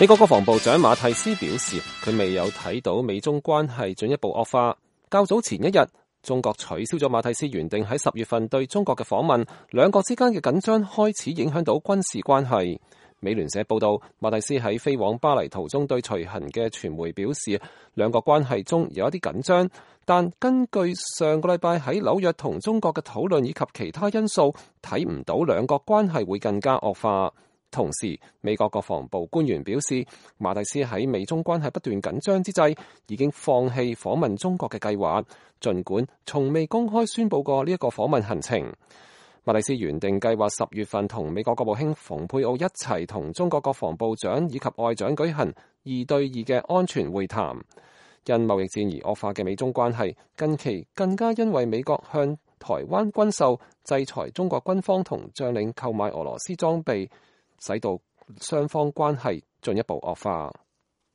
美國國防部長馬蒂斯表示，佢未有睇到美中關係進一步惡化。較早前一日，中國取消咗馬蒂斯原定喺10月份對中國嘅訪問，兩國之間嘅緊張開始影響到軍事關係。美聯社報道，馬蒂斯喺飛往巴黎途中對隨行嘅傳媒表示，兩國關係中有一啲緊張，但根據上個禮拜喺紐約同中國嘅討論以及其他因素，睇唔到兩國關係會更加惡化。同時，美國國防部官員表示，馬蒂斯喺美中關係不斷緊張之際，已經放棄訪問中國嘅計劃，儘管從未公開宣佈過呢一個訪問行程。馬蒂斯原定計劃10月份同美國國務卿蓬佩奧一齊同中國國防部長以及外長舉行2對2嘅安全會談。因貿易戰而惡化嘅美中關係，近期更加因為美國向台灣軍售、制裁中國軍方同將領購買俄羅斯裝備，使到雙方關係進一步惡化。